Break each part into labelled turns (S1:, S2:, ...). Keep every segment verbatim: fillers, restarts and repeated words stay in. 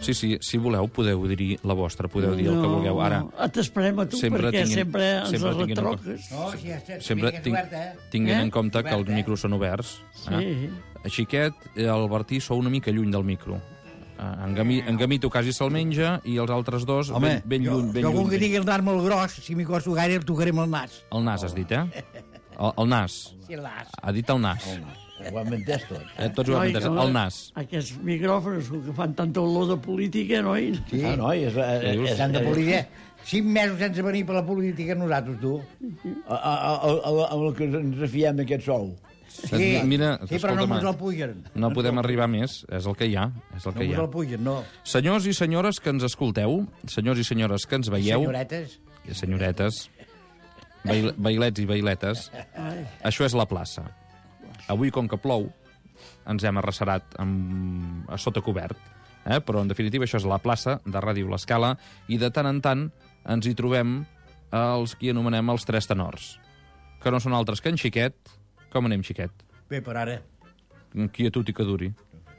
S1: Sí, sí, si voleu podeu dir la vostra, podeu dir el que vulgueu. Ara,
S2: no, t'esperem a tu,
S1: sempre
S2: perquè
S1: tinguin-
S2: sempre ens
S1: sempre
S2: la
S1: tinguin en
S2: retroques.
S3: No, si ja està,
S1: sempre
S3: que és
S1: tinc,
S3: oberta, eh?
S1: tinguin
S2: Eh?
S1: en compte que els
S3: Obert, eh?
S1: micros són oberts.
S2: Sí.
S1: Eh? Xiquet, el Bertí sou una mica lluny del micro. Eh, En, Gami, en Gamito quasi se'l menja i els altres dos
S3: Home,
S1: ben, ben
S3: jo,
S1: lluny. Ben
S3: jo com
S1: lluny.
S3: que tingui el nas molt gros, si m'hi costo gaire el tocaré amb el nas.
S1: El nas, has dit, eh? El, el nas.
S3: Sí, el nas.
S1: Ha dit el nas.
S4: Ho hem entès tot.
S1: Eh, tots ho hem
S2: Noi,
S1: entès.
S2: que-
S1: El nas.
S2: Aquests micròfons que fan tanta olor de política, noi?
S3: Sí.
S4: Ah, no, és... és, és,
S3: S'han de
S4: és
S3: política. Cinc mesos sense venir per la política nosaltres, tu.
S4: amb el que ens refiem d'aquest sou.
S3: Sí,
S1: Mira,
S3: sí però no
S1: escolta'm,
S3: mos el pugen.
S1: No podem arribar més, és el que hi ha. És el
S3: No
S1: que hi
S3: mos
S1: ha.
S3: el pugen, no.
S1: Senyors i senyores que ens escolteu, senyors i senyores que ens veieu,
S3: Senyoretes.
S1: i senyoretes, bail bailets i bailetes, això és la plaça. Avui, com que plou, ens hem arrecerat amb... a sota cobert, eh? Però en definitiva això és la plaça de Ràdio L'Escala i de tant en tant ens hi trobem els que anomenem els tres tenors, que no són altres que en Xiquet. Com anem, Xiquet?
S3: Bé, per ara.
S1: Quietud i que duri,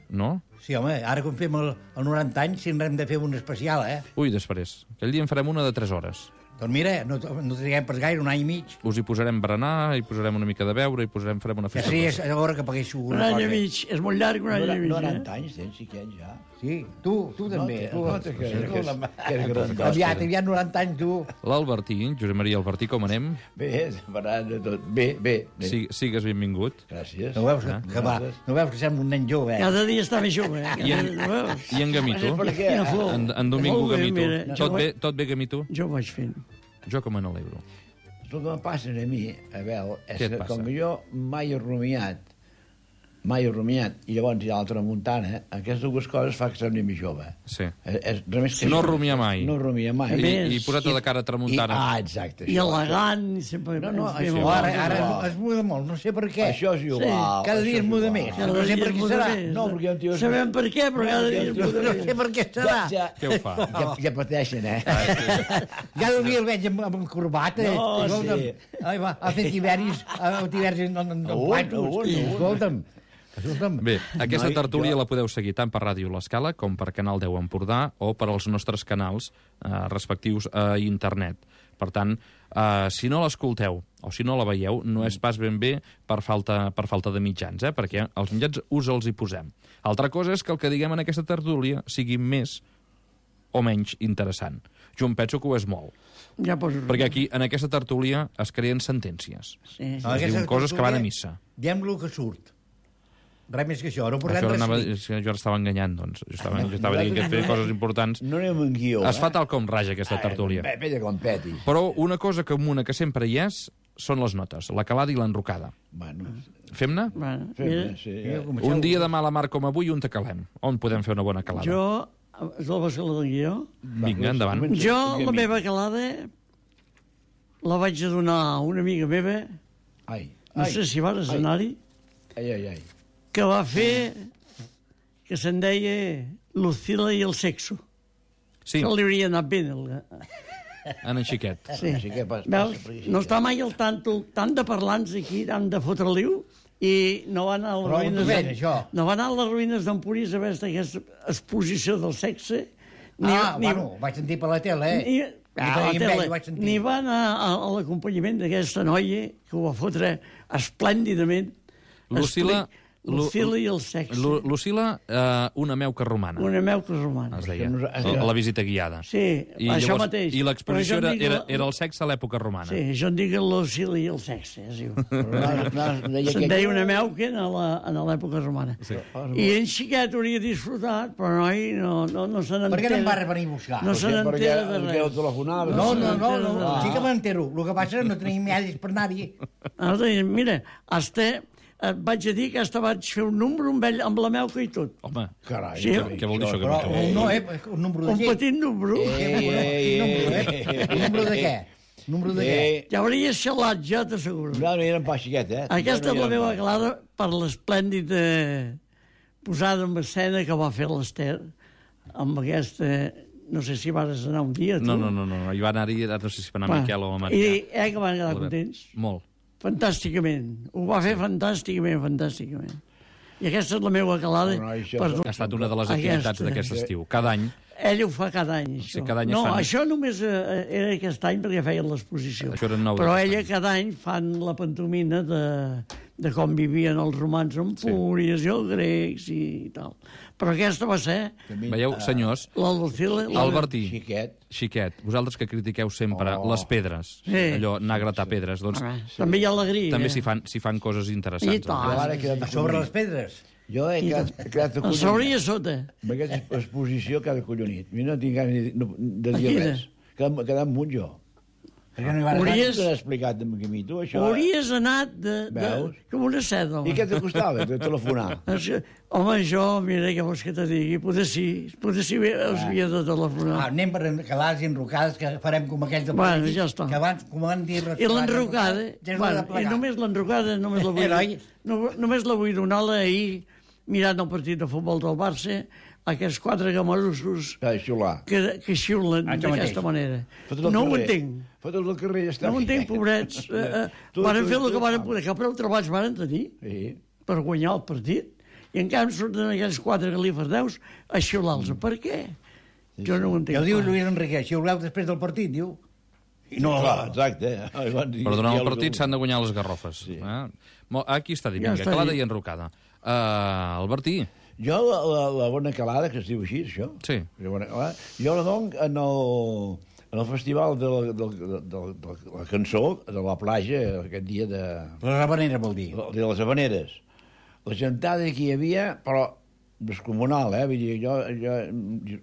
S1: no?
S3: Sí, home, ara com fem el, el noranta anys, si n'hem de fer un especial, eh?
S1: Ui, després. Aquell dia en farem una de tres hores.
S3: Doncs mira, no, no triguem pas gaire, un any i mig.
S1: Us hi posarem berenar, hi posarem una mica de beure, hi posarem, farem una
S3: Ja
S1: festa.
S3: sí, és a l'hora que paguéssiu
S2: Un
S3: una
S2: any i
S3: cosa.
S2: mig. És molt llarg, un any i mig.
S4: noranta
S2: Eh?
S4: anys tens, xiquet, ja.
S3: Sí, tu, tu també.
S4: té-
S3: tu,
S4: no té que-
S3: tu,
S4: que és-
S3: la-
S4: que és grandós,
S3: Aviat,
S4: que-
S3: aviat noranta anys, tu.
S1: L'Albertí, Josep Maria Albertí, com anem?
S4: Bé, parlant de tot. Bé, bé. bé.
S1: Sí, sigues benvingut.
S4: Gràcies.
S3: No veus que,
S1: Ah,
S3: que va, no veus que sembla un nen jove, eh?
S2: Cada dia està més jove, eh?
S1: I en,
S2: No veus?
S1: i en Gamito?
S4: Per què?
S2: Quina flor.
S1: En, en Domingo
S2: Molt bé,
S1: Gamito.
S2: mira, jo
S1: Tot bé,
S2: vaig-
S1: tot bé, Gamito?
S2: Jo ho vaig fent.
S1: Jo que me n'alegro.
S4: El que em passa a mi, Abel, és
S1: Què et
S4: que
S1: passa?
S4: com que jo mai he rumiat, mai he rumiat, i llavors hi ha l'altra muntana, aquestes dues coses fa que sembli més jove.
S1: Sí.
S4: És, és, res més que
S1: No
S4: això.
S1: rumia mai.
S4: No rumia mai.
S2: A
S1: I,
S2: més,
S1: i posat de cara tramuntana.
S4: I, ah, exacte.
S2: I
S4: això.
S2: elegant, i sempre...
S4: No, no,
S2: ens fem
S4: això-
S2: el-
S3: Ara, ara
S4: igual.
S3: es, es muda molt, no sé per què.
S4: Això és igual.
S3: Cada
S4: això
S3: dia es
S4: és
S3: muda
S4: igual.
S3: més.
S2: Cada
S3: No sé
S2: dia
S3: per
S2: es
S3: què
S2: muda
S3: serà.
S2: més.
S4: No, perquè un tio...
S2: Sabem per què, però cada dia es muda
S3: No
S2: més.
S3: sé per què serà.
S4: Ja, ja,
S1: Què ho fa?
S4: ja, ja pateixen, eh?
S3: Cada dia el veig amb, amb corbata.
S4: No,
S3: escolta'm.
S4: sí.
S3: Ai, va, ha fet tiberis, ha fet tiberis en, en, en
S4: Un,
S3: platos.
S4: un, un.
S3: Escolta'm. Escolta'm.
S1: Bé, aquesta
S4: Noi,
S1: tertúlia
S4: jo-
S1: la podeu seguir tant per Ràdio L'Escala com per Canal deu Empordà o per als nostres canals eh, respectius a internet. Per tant, eh, si no l'escolteu o si no la veieu, no és pas ben bé per falta, per falta de mitjans, eh? Perquè els mitjans us els hi posem. Altra cosa és que el que diguem en aquesta tertúlia sigui més o menys interessant. Jo em penso que ho és molt.
S2: Ja poso...
S1: Perquè aquí, en aquesta tertúlia, es creen sentències.
S2: Sí.
S3: No,
S1: Es
S3: aquesta
S1: diuen coses que van a
S3: tertúlia,
S1: missa.
S3: Diem-lo que surt. Res més que això. No portem
S1: Això
S3: res
S1: anava,
S3: escrit.
S1: és que jo ara estava enganyant, doncs. Jo estava, jo estava dient que feia coses importants.
S4: No anem en guió,
S1: Es fa
S4: eh?
S1: tal com raja aquesta tertúlia.
S4: Bé, bé, com petis.
S1: Però una cosa comuna que sempre hi és són les notes, la calada i l'enrocada.
S4: Bueno,
S1: Fem-ne?
S2: Bueno,
S4: fem-ne,
S2: mira,
S4: sí.
S3: Mira,
S4: Eh?
S3: comenceu.
S1: Un dia de mala mar com avui, on te calem? On podem fer una bona calada?
S2: jo... És la bascula del guió?
S1: Vinga, endavant.
S4: Comença,
S2: Jo,
S4: digue'm.
S2: la meva calada, la vaig a donar a una amiga meva,
S4: Ai,
S2: no
S4: ai,
S2: sé si vas
S4: ai.
S2: anar-hi,
S4: ai, ai, ai.
S2: que va fer que se'n deia Lucila i el sexo.
S1: Sí,
S2: Que li hauria anat bé. El...
S1: en en Xiquet.
S2: Sí.
S4: Així que pas,
S2: Veus?
S4: passa per aquí,
S2: No
S4: sí.
S2: està mai al tanto, tant de parlants aquí, tant de fotre-liu, i no va anar a les
S3: Però on
S2: ruïnes...
S3: t'ho ven,
S2: d'Em-
S3: això?
S2: No va anar a les ruïnes d'Empúries a veure aquesta exposició del sexe.
S3: Ah, bueno, ho vaig sentir per la tele, eh?
S2: Ni,
S3: Jo
S2: ah, la
S3: tenia
S2: tele,
S3: enveja, ho vaig sentir.
S2: ni va anar a, a l'acompanyament d'aquesta noia que ho va fotre esplèndidament.
S1: Lucila-
S2: Expli- Lucila i el sexe.
S1: Lu Lucila, eh, una meuca romana,
S2: Una meuca romana.
S1: es deia,
S4: Que nos-
S1: la, la visita guiada.
S2: Sí,
S1: I
S2: això
S1: llavors-
S2: mateix.
S1: I l'exposició
S2: Però jo
S1: era,
S2: en dic
S1: era,
S2: la-
S1: era el sexe a l'època romana.
S2: Sí, jo en dic Lucila i el sexe, es diu.
S4: Però no, no, deia
S2: Se'n
S4: que-
S2: deia una meuca en la- en l'època romana.
S1: Sí.
S2: I en Xiquet hauria disfrutat, però noi no, no, no se
S3: Per
S2: n'entera.
S3: què no em va venir a buscar?
S2: No se
S4: Perquè-
S2: n'entera de
S4: perquè el
S2: res.
S4: telefonava.
S3: No,
S2: se
S3: no, no,
S2: n'entera
S3: no,
S2: de res.
S3: sí que m'entero. El que passa és que no tenim medis per anar-hi.
S2: Ara deien, mira, hasta, et vaig a dir que hasta vaig fer un número amb ell, amb la meuca i tot.
S1: Home,
S4: Carai,
S2: Sí,
S4: carai,
S1: què vol dir això? Que
S3: Però
S1: no,
S3: un no, eh? Un número de
S2: Un
S3: què?
S2: petit número.
S4: Eh,
S3: Quin número, eh? Un número de què? Un número de què?
S4: Eh,
S2: Ja hauria xalat, ja t'asseguro.
S4: no, no era pas xiquet, eh?
S2: Aquesta
S4: No,
S2: és
S4: no
S2: la
S4: era
S2: meva
S4: pas.
S2: clara per l'esplèndida posada en escena que va fer l'Ester amb aquesta... No sé si vas anar un dia, tu.
S1: no, no, no, no, hi va anar-hi, ara no sé si va anar
S2: Va.
S1: Miquel o la Maria.
S2: I eh, que van quedar
S1: Albert.
S2: contents.
S1: Molt.
S2: Fantàsticament. Ho va fer fantàsticament, fantàsticament. I aquesta és la meva calada.
S4: No, no, això-
S2: per
S1: Ha estat una de les activitats
S2: Aquesta.
S1: d'aquest estiu. Cada any.
S2: Ell ho fa cada any, això.
S1: Sí, cada any es
S2: no,
S1: fan.
S2: això només eh, era aquest any perquè feien l'exposició.
S1: Això era nou
S2: Però
S1: d'aquest
S2: ella
S1: any.
S2: cada any fan la pantomina de, de com vivien els romans amb
S1: Sí.
S2: fúries i els grecs i tal. Però aquesta va ser
S1: Veieu, senyors,
S2: l'Albacil...
S1: Albertí,
S4: Xiquet.
S1: Xiquet, vosaltres que critiqueu sempre
S4: Oh.
S1: les pedres,
S2: Sí.
S1: allò, anar a gratar pedres, doncs
S2: També hi ha alegria.
S1: també s'hi fan, s'hi fan coses interessants.
S2: I tant.
S4: Jo ara he quedat
S3: A sobre les pedres.
S4: Jo he quedat, he quedat
S2: A sobre i a sota.
S4: Amb aquesta exposició cada collonit. A mi no tinc ganes de, no, de dir
S2: Quina?
S4: res. Quedar, quedar munt jo.
S3: Perquè no hi va
S2: Hauries-
S4: T'ho he explicat a mi, tu, això.
S2: Hauries anat de, de,
S4: Veus?
S2: com una seda.
S4: I què te costava, de telefonar?
S2: Això- Home, jo, mira, què vols que te digui? Potser sí, potser sí els havia de telefonar.
S3: Ah, anem per calades i enrocades que farem com aquells de
S2: Bueno,
S3: polítics,
S2: ja està.
S3: que abans, com van dir...
S2: I l'enrocada,
S3: ja és
S2: bueno,
S3: de
S2: i
S3: plegar.
S2: només l'enrocada només la vull,
S3: Heroi.
S2: no, només la vull donar-la ahir, mirant el partit de futbol del Barça, aquests quatre gamarussos
S4: Ah, xiular.
S2: que, que xiulen
S3: Això
S2: d'aquesta
S3: mateix.
S2: manera.
S4: Fotos al
S2: No ho
S4: carrer.
S2: entenc.
S4: Fotos al carrer, ja està.
S2: No ho entenc, pobrets. Eh, eh,
S4: Tu-
S2: Varen
S4: tu-
S2: fer el
S4: tu-
S2: que varen poder. Que prou treballs varen tenir
S4: Sí.
S2: per guanyar el partit. I en canvi surten aquells quatre galifardeus a xiular-los. Per què? Jo no ho entenc.
S3: Ja ho diu
S2: clar.
S3: Lluís Enrique, si ho després del partit, diu. I no,
S4: Clar, exacte. Ai, van dir-
S1: Però durant
S4: ja
S1: el
S4: lo
S1: partit
S4: diu.
S1: s'han de guanyar les garrofes.
S4: Sí.
S1: Eh? Mo- Aquí està dit,
S2: Ja
S1: vinga,
S2: està
S1: calada
S2: dit.
S1: i enrocada. Uh, Albertí,
S4: Jo, la, la, la bona calada, que es diu així, això.
S1: Sí.
S4: La bona calada, jo la dono en el, en el festival de la, de, de, de, de la cançó, de la platja, aquest dia de,
S3: les habaneres vol dir.
S4: de les Habaneres. La gentada que hi havia, però descomunal, eh? Vull dir, jo, jo,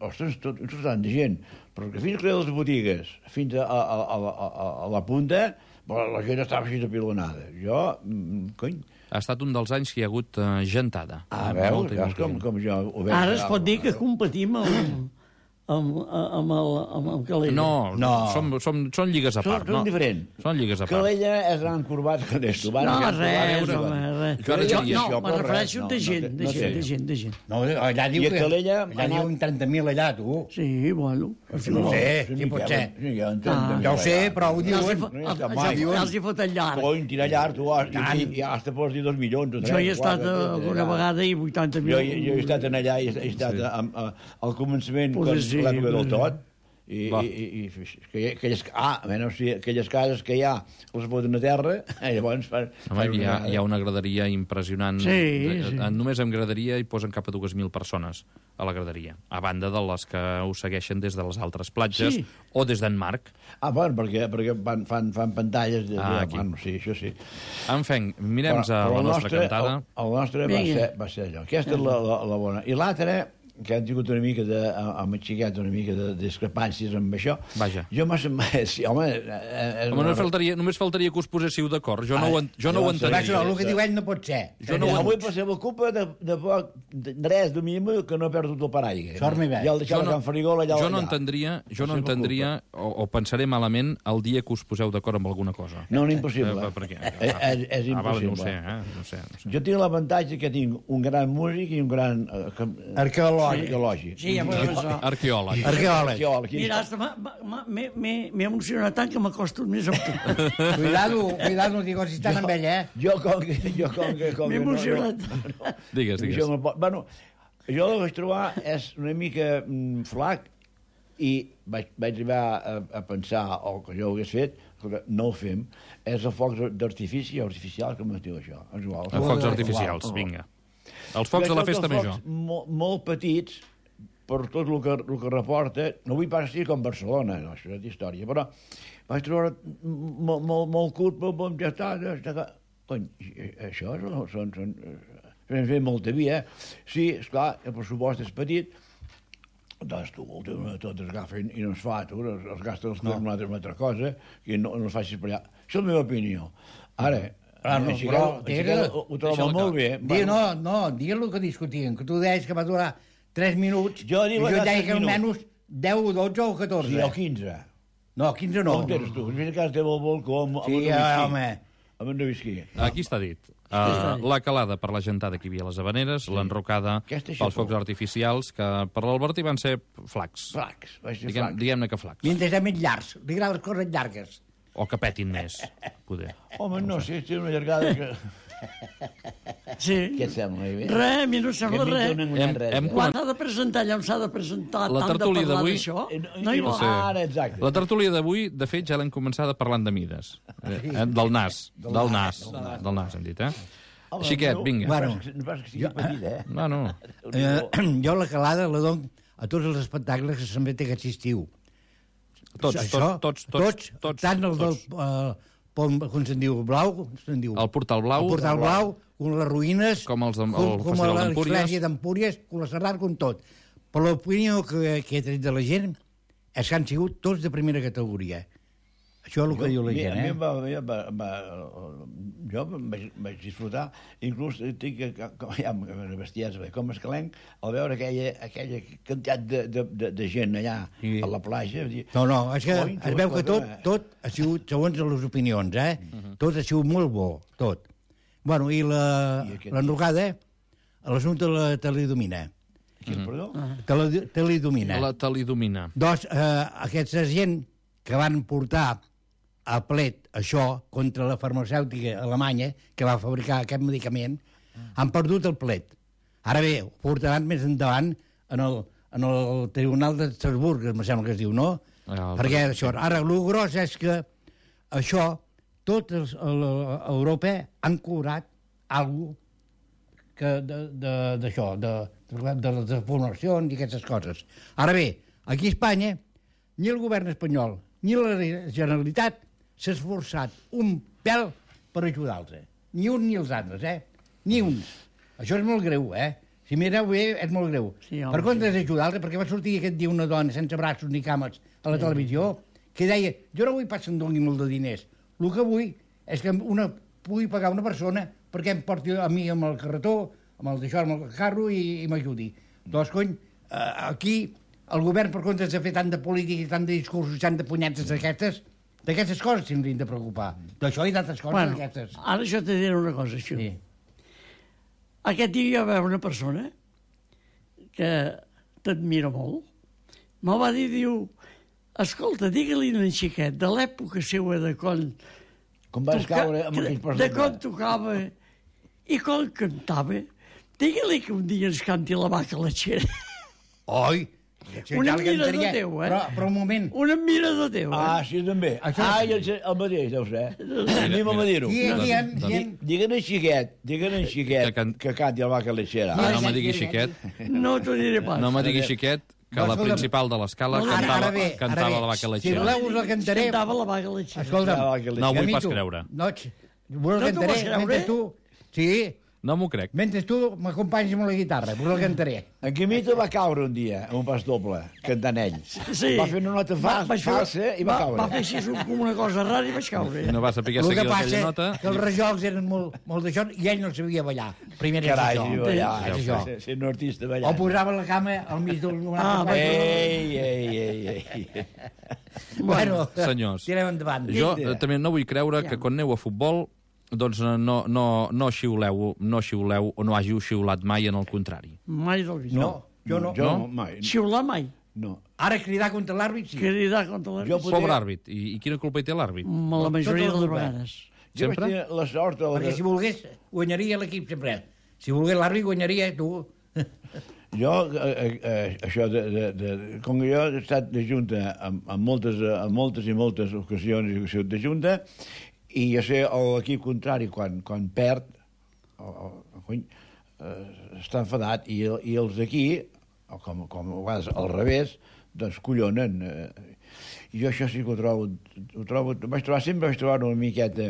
S4: ostres, tot, tot tant de gent, però que fins que les botigues, fins a, a, a, a, a, a la punta, però la gent estava així apilonada. Jo, mm, cony,
S1: ha estat un dels anys que hi ha hagut uh, gentada.
S4: ah,
S1: Eh,
S4: veus,
S1: molta i
S4: veus
S1: molta
S4: com,
S1: gent.
S4: com jo ho veig.
S2: Ara es pot dir que competim amb, amb, amb, el, amb el Calella.
S1: No,
S3: No.
S1: Som, som, són lligues a
S4: Són,
S1: part.
S4: són
S1: no?
S4: diferents.
S1: Són lligues a
S4: Que
S1: part.
S4: l'ella és gran corbat que des tu.
S2: No, res,
S1: veure,
S2: home, res.
S1: jo ara
S2: Jo,
S1: diria
S2: no,
S1: això,
S2: me
S4: però
S2: refereixo
S4: res,
S2: de
S4: no,
S2: gent,
S4: no,
S2: de
S4: no
S2: gent,
S4: sé.
S2: de gent, de gent.
S3: No, allà diu
S4: I a
S3: que...
S4: Calella
S3: Allà
S4: ha
S3: diu
S4: anat-
S3: trenta mil allà, tu.
S2: Sí, bueno.
S3: No ho sé, sí pot ser.
S4: Sí, ja, entenc,
S2: Ah.
S3: Ja ho sé, però ho
S2: Els hi,
S3: diuen.
S2: fo-
S4: no hi està
S2: els,
S4: mai.
S2: els, els hi foten llarg.
S4: Cony, tira llarg, tu has,
S3: Tant.
S4: i, i has te pots dir dos milions. o
S2: Jo hi he
S4: tres,
S2: estat
S4: quatre,
S2: alguna
S4: ja.
S2: vegada i vuitanta mil.
S4: Jo, jo he estat en allà, he, he estat
S1: Sí.
S4: sí. a, a, al començament,
S2: Poder
S4: quan
S2: sí,
S4: l'època del
S2: poder.
S4: tot, i,
S1: Va.
S4: i, i, i que, aquelles, ah, bueno, o sigui, aquelles cases que hi ha, les foten a terra, i llavors fan...
S1: Home,
S4: fan
S1: hi ha,
S4: una-
S1: hi ha una graderia impressionant.
S2: Sí,
S1: De-
S2: sí.
S1: en- Només amb graderia hi posen cap a dues mil persones a la graderia, a banda de les que ho segueixen des de les altres platges
S2: Sí.
S1: o des d'en Marc.
S4: Ah, bueno, perquè, perquè fan, fan, fan pantalles... De,
S1: Ah,
S4: de,
S1: aquí.
S4: bueno, sí, això sí.
S1: En fi, mirem a
S4: el
S1: la nostra
S4: nostre,
S1: cantada.
S4: El, el nostre va
S2: Vinga.
S4: ser, va ser allò. Aquesta és la, la, la bona. I l'altra, que han tingut una mica de, amb el xiquet, una mica de discrepàncies amb això.
S1: Vaja.
S4: Jo m'ha semblat... Sí, home... eh, És
S1: Home,
S4: una-
S1: només faltaria, només faltaria que us poséssiu d'acord. Jo, no ho, en- jo no ho
S4: llavors,
S3: Clar,
S1: entendria.
S3: això, el que diu ell no pot ser.
S1: Jo no ho
S4: Avui per ser la culpa de, de, poc, de res, de mínim, que no he perdut el paraigua.
S3: Sort m'hi ve.
S4: Ja el deixava
S1: Jo no,
S4: a Can Farigola allà.
S1: jo no
S4: allà.
S1: entendria, jo no
S4: La seva
S1: entendria o, o pensaré malament el dia que us poseu d'acord amb alguna cosa.
S4: No, no, impossible.
S1: Eh, per què?
S4: És, és, és
S1: Ah, vale, no ho
S4: impossible.
S1: sé, eh? No ho sé, no ho sé.
S4: Jo tinc l'avantatge que tinc un gran músic i un gran... Eh, que-
S3: Arqueològic.
S4: arqueològic.
S2: Sí, ja m'ho això.
S1: Arqueòleg.
S3: Arqueòleg.
S4: Arqueòleg.
S2: Mira, hasta m'ha- m'ha- m'he m'he- m'he emocionat tant que m'ha costat més amb tu.
S3: Cuidado, cuidado, digo, si estan amb ell, eh?
S4: Jo com que... Jo com que, com
S2: M'he
S4: que no-
S2: emocionat.
S4: no, no,
S1: Digues, digues.
S4: Això no pot... Bueno, jo el vaig trobar és una mica mm, flac i vaig, vaig arribar a, a pensar, o que jo ho hagués fet, que no ho fem, és el foc d'artifici artificial, com es diu això? És igual.
S1: Els focs artificials, vinga. Els focs de la festa major.
S4: Molt, molt petits, per tot el que, el que reporta, no vull pas dir com Barcelona, no, això és història, però vaig trobar molt, molt, molt curt, molt, molt, ja està, ja està. Cony, això són, són, són, són fet molta via. Sí, esclar, el pressupost és petit, doncs tu, tot es agafa i no es fa, tu, es, es gasta els no. una, altra, una altra cosa, i no, no es facis per allà. Això és la meva opinió. Ara,
S3: Ah, no,
S4: així
S3: però,
S4: que, així
S3: Tere,
S4: que ho, ho trobo
S1: deixa'l
S4: molt
S1: acabar.
S4: bé.
S3: Di, no, no, digues el que discutien, que tu deies que va durar tres minuts,
S4: Jo dic
S3: i
S4: que
S3: jo
S4: va
S3: deia
S4: tres
S3: que
S4: minuts.
S3: almenys deu, dotze o catorze.
S4: Sí, o quinze.
S3: No, quinze
S4: No,
S3: no.
S4: no tens tu. És que esteu al balcó amb, amb
S3: Sí,
S4: un
S3: eh,
S4: whisky.
S3: home.
S4: Amb un whisky.
S1: Aquí està dit. Uh, la calada per la gentada que hi havia a les Habaneres, l'enrocada
S4: Aquesta
S1: pels
S4: xapó.
S1: focs artificials, que per l'Albertí van ser flacs.
S4: Flacs, vaig ser
S1: Diguem-
S4: flacs.
S1: Diguem-ne que flacs.
S3: Mentre és més llargs, li agraden les coses llargues.
S1: O que petin més, poder.
S4: Home, no sé, té una llargada que...
S2: Sí.
S4: Què et sembla? Eh?
S2: Res, a mi no em sembla
S4: Que a mi
S2: res.
S4: no n'enguanyem
S1: Hem-
S4: res,
S1: hem
S4: eh?
S2: Quan s'ha de presentar allà on s'ha de presentar,
S1: La
S2: tant de
S1: tertúlia
S2: parlar
S1: d'avui-
S2: d'això,
S4: Eh,
S2: no hi va.
S1: Sí.
S4: Ara, exacte.
S1: La tertúlia d'avui, de fet, ja l'hem començada parlant de mides. Eh, del nas. Del nas. Del nas, hem dit, eh?
S4: Home,
S1: Xiquet,
S4: no,
S1: vinga.
S3: Bueno.
S4: No pas que, no pas que sigui petit, eh?
S1: No, no.
S3: Eh, jo la calada la dono a tots els espectacles que se'n té aquest estiu.
S1: Tots,
S3: Això,
S1: tots, tots, tots, tots.
S3: tant el del...
S1: tots.
S3: Eh, pont, com se'n diu, blau, com se'n diu?
S1: El Portal Blau.
S3: El Portal Blau, com les ruïnes...
S1: Com els de- el
S3: com, com
S1: Festival d'Empúries.
S3: l'església d'Empúries, com la Serrat, com tot. Però l'opinió que, que he tret de la gent és que han sigut tots de primera categoria. Això és el que diu la
S4: A mi-
S3: gent,
S4: a mi
S3: eh?
S4: em va, va, va, va, jo em vaig, vaig disfrutar, inclús tinc que, com, ja, bestiats, com escalenc, al veure aquella, aquella quantitat de, de, de, de gent allà
S3: Sí.
S4: a la platja. Dir,
S3: No, no, és que
S4: "Coi,
S3: es veu que tot,
S4: escolta'm,
S3: tot ha sigut segons les opinions, eh? Tot ha sigut molt bo, tot. Bueno, i la-
S4: I aquest-
S3: l'enrocada, l'assumpte de la teledomina.
S4: Qui, perdó?
S3: Tele, teledomina.
S1: La talidomina.
S3: Doncs eh, aquesta gent que van portar a plet això contra la farmacèutica alemanya que va fabricar aquest medicament, han perdut el plet. Ara bé, ho portaran més endavant en el, en el Tribunal de Estrasburg, em sembla que es diu, no?
S1: Ah, el-
S3: Perquè això, ara, el gros és que això, tots els, el, Europa han cobrat alguna que de- de- d'això, de, de, de les deformacions i aquestes coses. Ara bé, aquí a Espanya, ni el govern espanyol ni la Generalitat s'ha esforçat un pèl per ajudar-los. Ni un ni els altres, eh? Ni un. Això és molt greu, eh? Si mireu bé, és molt greu.
S2: Sí, home,
S3: per comptes
S2: sí.
S3: d'ajudar-los, perquè va sortir aquest dia una dona sense braços ni cames a la televisió, que deia, jo no vull pas que em doni molt de diners. El que vull és que una, pugui pagar una persona perquè em porti a mi amb el carretó, amb el d'això, amb el carro i, i m'ajudi. Doncs, cony, eh, aquí el govern, per comptes de fer tant de política i tant de discursos, tant de punyetes d'aquestes, d'aquestes coses s'haurien de preocupar. D'això i d'altres coses
S2: Bueno,
S3: d'aquestes.
S2: ara jo te diré una cosa, això.
S3: Sí.
S2: Aquest dia hi va haver una persona que t'admira molt. Me'l va dir, diu, escolta, digue-li a en Xiquet, de l'època seua de quan...
S4: Com vas
S2: toca-
S4: caure amb aquell
S2: De
S4: personatge?
S2: quan tocava i quan cantava, digue-li que un dia ens canti la vaca lletxera.
S3: Oi!
S2: Un
S3: Ja el
S2: admirador
S3: cantaria,
S2: teu, eh?
S3: Però, però un moment.
S2: Un admirador teu, eh?
S4: Ah, sí, també.
S3: Això
S4: Ah,
S3: sí.
S4: el, el mateix, deu ser. Anem a dir-ho.
S3: Qui, qui, en, qui, en,
S4: Digue'n en Xiquet, digue'n en Xiquet,
S1: Que can-
S4: que canti el vaca lechera.
S1: Ah, no
S3: Qui-
S1: me diguis
S3: qui-
S1: xiquet.
S2: No t'ho diré pas.
S1: No me diguis xiquet, que
S3: No,
S1: la
S3: escolta'm.
S1: principal de l'escala
S2: No, ara-
S1: cantava,
S3: ara bé, ara
S1: cantava
S3: bé.
S1: la vaca
S3: Si
S1: lechera.
S3: voleu, us la cantaré.
S2: Cantava la vaca lletxera.
S3: Escolta'm,
S4: La vaca
S1: No,
S4: lechera.
S1: vull
S3: a mi
S1: pas
S3: tu-
S1: creure.
S3: No, ets- vos
S2: No
S3: la
S2: t'ho
S3: cantaré
S2: vols creure?
S3: mentre tu... Sí,
S1: No m'ho crec.
S3: mentre tu m'acompanyes amb la guitarra, vos la cantaré.
S4: En Quimito va caure un dia, en un pas doble, cantant ell.
S2: Sí.
S4: Va fer una nota fa,
S2: vaig fer-
S4: falsa i va, caure.
S2: Va fer així com una cosa rara i vaig caure.
S1: No va saber
S3: El
S1: seguir
S3: que passa
S1: aquella nota.
S3: que els rajols eren molt, molt d'això i ell no sabia ballar. Primer és
S4: Carai,
S3: això.
S4: ballar,
S3: És això.
S4: ser, ser un artista
S3: O
S4: ballant.
S3: posava la cama al mig d'un...
S2: Ah,
S3: Ah,
S4: Ei, ei, ei, ei.
S3: bueno,
S1: Senyors.
S3: tirem endavant.
S1: Jo
S4: Vinga.
S1: eh, també no vull creure que quan aneu a futbol doncs no, no, no, no xiuleu, no xiuleu o no hàgiu xiulat mai, en el contrari.
S2: Mai del vist.
S3: No, jo no.
S4: Jo
S1: No?
S4: no, mai.
S2: Xiular mai.
S4: No.
S3: Ara cridar contra l'àrbit, sí.
S2: Cridar contra la...
S4: Jo
S2: Jo...
S4: potser-
S1: Pobre àrbit. I, I quina culpa hi té l'àrbit?
S2: La majoria
S3: Tot
S2: de
S3: el
S2: les
S3: govern.
S2: vegades.
S4: Jo
S1: Sempre?
S4: vaig tenir la sort... De...
S3: Perquè si volgués, guanyaria l'equip sempre. Si volgués l'àrbit, guanyaria tu.
S4: Jo, eh, eh, això, de, de, de, com que jo he estat de junta en, en, moltes, en moltes i moltes ocasions he sigut de junta, i jo sé l'equip contrari, quan, quan perd, o, o, cony, eh, està enfadat, i, i els d'aquí, o com, com a vegades al revés, doncs collonen. Eh, I jo això sí que ho trobo, ho trobo, vaig trobar, sempre vaig trobar una miqueta,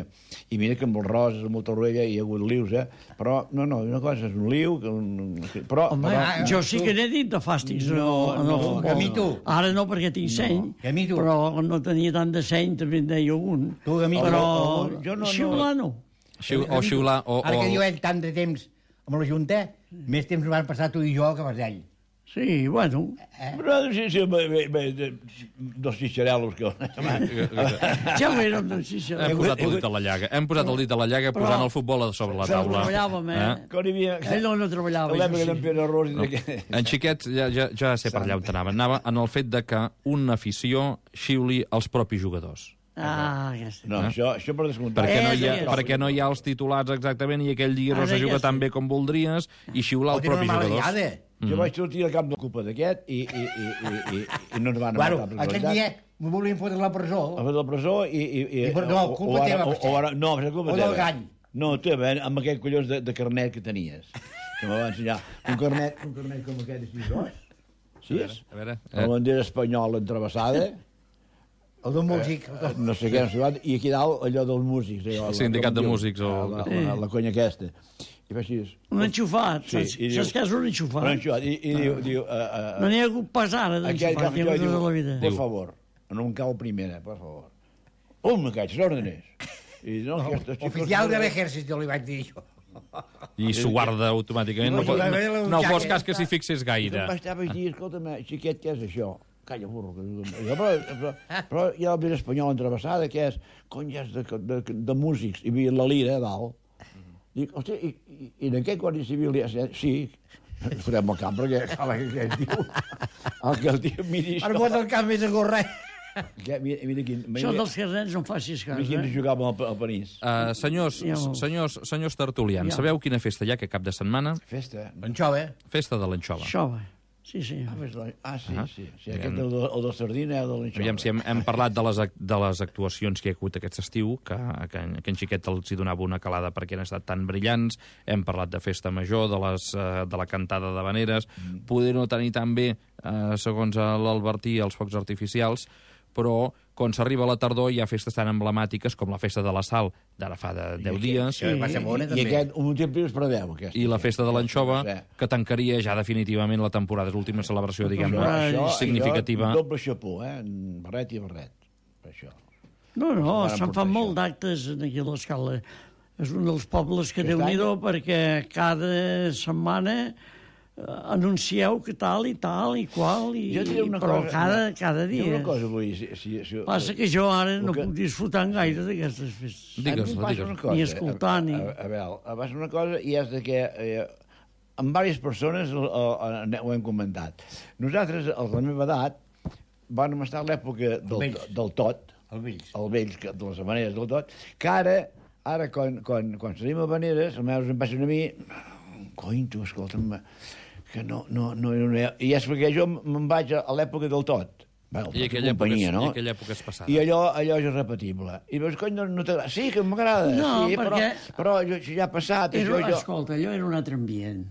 S4: i mira que amb els roses, amb molta orella, hi ha hagut lius, eh? Però, no, no, una cosa és un liu, que un, però...
S2: Home,
S4: però,
S2: jo sí que n'he dit de fàstics
S4: No,
S2: en el, en el
S4: no,
S2: futbol.
S3: a mi tu.
S2: Ara no, perquè tinc seny,
S3: a mi tu.
S2: però no tenia tant de seny, també en deia un.
S3: Tu, a mi tu.
S2: però
S4: O- o- jo no- no-
S2: xiular no.
S1: Xiu, o xiular... O,
S3: Ara que diu
S1: o,
S3: ell tant de temps amb la Junta, més temps van passar tu i jo que vas ell.
S2: Sí, bueno.
S4: Però sí, sí, bé, bé, bé, dos xixarel·los que...
S2: Ja ho érem, doncs, sí, sí.
S1: hem posat el dit a la llaga. Hem posat el dit a la llaga
S2: Però-
S1: posant el futbol a sobre la
S2: Però
S1: taula.
S2: treballàvem, eh?
S4: Quan hi havia...
S2: Ell no, no treballava.
S4: L'època
S2: això
S4: d'en
S2: sí.
S4: Pere Ros...
S1: No. En Xiquet ja, ja, ja sé per allà on anava. Anava en el fet de que una afició xiuli els propis jugadors.
S2: Ah, aquesta.
S4: No, això, això per descomptat.
S1: Perquè no,
S2: Eh,
S1: hi ha,
S2: sí,
S1: perquè no hi ha els titulats exactament i aquell dia no
S2: Ara
S1: se
S2: ja
S1: juga
S2: sí.
S1: tan bé com voldries i xiular
S3: O
S1: el
S3: tenen
S1: propi
S3: una mala
S1: jugador.
S3: guiada.
S4: Jo vaig sortir al camp de culpa d'aquest i, i, i, i, i, i no ens van
S3: Bueno,
S4: matar per
S3: aquell dia me volien fotre a la presó.
S4: a fer la presó i... i, i,
S3: I per- no,
S4: o-
S3: culpa
S4: o ara-
S3: teva,
S4: o-
S3: potser.
S4: o ara- No, és culpa
S3: O del
S4: teva.
S3: gall.
S4: No, teva, amb aquell collons de, de carnet que tenies. Que me va ensenyar. Un carnet, un carnet com aquest de sis dos. Sis.
S1: A veure,
S4: La
S1: eh,
S4: bandera espanyola entrevessada.
S3: El del músic.
S4: Eh, no sé què, no sé quant, i aquí dalt allò dels músics. Allò,
S1: El sindicat de
S4: com diu,
S1: músics o-
S4: La, la, la conya aquesta. I fa així...
S2: Un enxufat,
S4: Sí,
S2: saps?
S4: i diu-
S2: Saps què és un enxufat?
S4: Un enxufat. I, i diu... diu uh, uh,
S2: No n'hi ha hagut pas ara
S4: aquell que
S2: d'enxufat,
S4: fa
S2: ni
S4: això,
S2: ha
S4: diu,
S2: tota la vida.
S4: por favor, no em cau primera, por favor. Un, me caig, l'òrdenes. I no, aquestos xicos...
S3: Oficial de l'ejército, li vaig dir jo.
S1: i s'ho guarda automàticament. No,
S3: No,
S1: fos-
S3: la- la-
S1: no,
S3: la-
S1: no
S3: la-
S1: fos cas que s'hi fixés gaire.
S4: Em vaig estar, vaig dir, escolta'm, xiquet, què és això? Calla, burro. Que... Jo, però, però, però hi ha la vida espanyola entrevessada, que és, cony, és de, de, de, de músics. Hi havia la lira a dalt. Dic, hòstia, i, i, i en aquest guàrdia civil hi ha... Sí, farem el camp, perquè cal que, que el tio... El que el tio miri
S3: Per
S4: això...
S3: vot del camp és a gorrer.
S4: Que, mira, mira quin...
S2: Això
S4: Mira,
S2: dels carnets no em facis cas,
S4: mira quin
S2: eh?
S4: jugava al, al París.
S1: Uh, senyors,
S2: Ja molts.
S1: senyors, senyors tertulians,
S2: Ja.
S1: sabeu quina festa hi ha aquest cap de setmana?
S4: Festa.
S3: Anxova.
S1: Festa de l'anxova.
S2: Això, va. Sí, sí.
S4: Ah, ves la- ah, sí,
S1: Ah.
S4: sí. sí aquest, el, de, el de Sardina, el de l'Anxova.
S1: Aviam si hem, hem parlat de les, ac- de les actuacions que hi ha hagut aquest estiu, que, que, en- que en Xiquet els hi donava una calada perquè han estat tan brillants. Hem parlat de festa major, de, les, eh, de la cantada de veneres. Mm. Poder no tenir tan bé, eh, segons l'Albertí, els focs artificials, però quan s'arriba a la tardor hi ha festes tan emblemàtiques com la festa de la Sal, d'ara fa de deu dies,
S3: Sí, va ser bona,
S4: I
S3: també.
S4: aquest, un temps es preveu, aquest.
S1: i la festa de l'anxova,
S4: Sí.
S1: que tancaria ja definitivament la temporada. És l'última celebració, diguem-ne,
S2: Això-
S1: significativa.
S4: Això, doble xapó, eh? En barret i barret. Per això.
S2: No, no,
S4: Varen
S2: se'n
S4: portar
S2: fan
S4: això.
S2: molt d'actes aquí a l'Escala. És un dels pobles que
S4: Aquest
S2: déu-n'hi-do
S4: any-
S2: perquè cada setmana eh, anuncieu que tal i tal i qual, i,
S4: Jo et diré una
S2: però
S4: cosa,
S2: cada,
S4: una-
S2: cada
S4: Diré
S2: dia.
S4: una cosa, vull dir, si, si, si,
S2: Passa que jo ara no
S4: que-
S2: puc disfrutar gaire d'aquestes festes.
S4: a mi em
S1: Digues-la,
S4: passa
S1: digues-la.
S4: una cosa,
S2: Ni escoltar,
S4: a,
S2: ni-
S4: A, a, a veure, em passa una cosa i és de que eh, amb diverses persones eh, eh, ho hem comentat. Nosaltres, a la meva edat, vam estar a l'època del,
S3: vells.
S4: del tot,
S3: El vells.
S4: el vells, que- de les maneres del tot, que ara, ara quan, quan, quan salim a Vaneres, els meus em passen a mi, cony, tu, escolta'm, que no, no, no, no, no, i és perquè jo me'n vaig a, a l'època del tot. Bueno,
S1: I aquella,
S4: companyia,
S1: època, és,
S4: no?
S1: I aquella època és passada.
S4: I allò, allò és irrepetible. I dius, cony, no, no t'agrada? Sí, que m'agrada.
S2: No,
S4: sí,
S2: perquè-
S4: Però, però jo, això ja ha passat.
S2: Era,
S4: Això, jo...
S2: escolta, allò era un altre ambient.